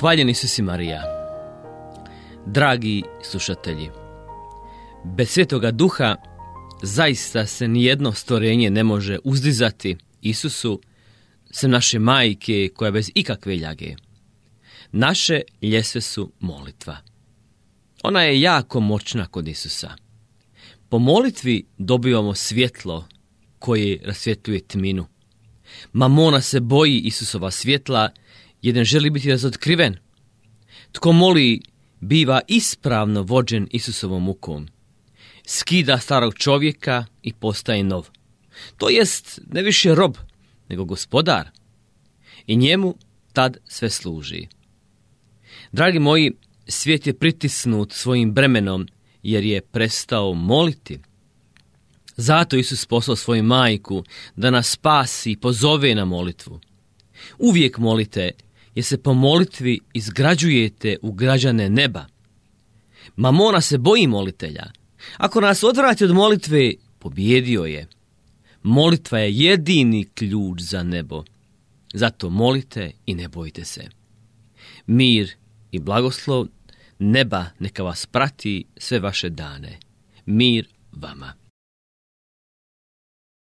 Hvaljen Isus i Marija. Dragi slušatelji, bez Svetoga Duha zaista se nijedno stvorenje ne može uzdizati Isusu, sem naše majke koja bez ikakve ljage. Naše ljestve su molitva. Ona je jako moćna kod Isusa. Po molitvi dobivamo svjetlo koje rasvjetljuje tminu. Mamona se boji Isusova svjetla jer ne želi biti razotkriven. Tko moli biva ispravno vođen Isusovom mukom. Skida starog čovjeka i postaje nov. To jest ne više rob, nego gospodar. I njemu tad sve služi. Dragi moji, svijet je pritisnut svojim bremenom jer je prestao moliti. Zato Isus poslao svoju majku da nas spasi i pozove na molitvu. Uvijek molite, jer se po molitvi izgrađujete u građane neba. Mamona se boji molitelja. Ako nas odvrati od molitve, pobjedio je. Molitva je jedini ključ za nebo. Zato molite i ne bojte se. Mir i blagoslov neba neka vas prati sve vaše dane. Mir vama.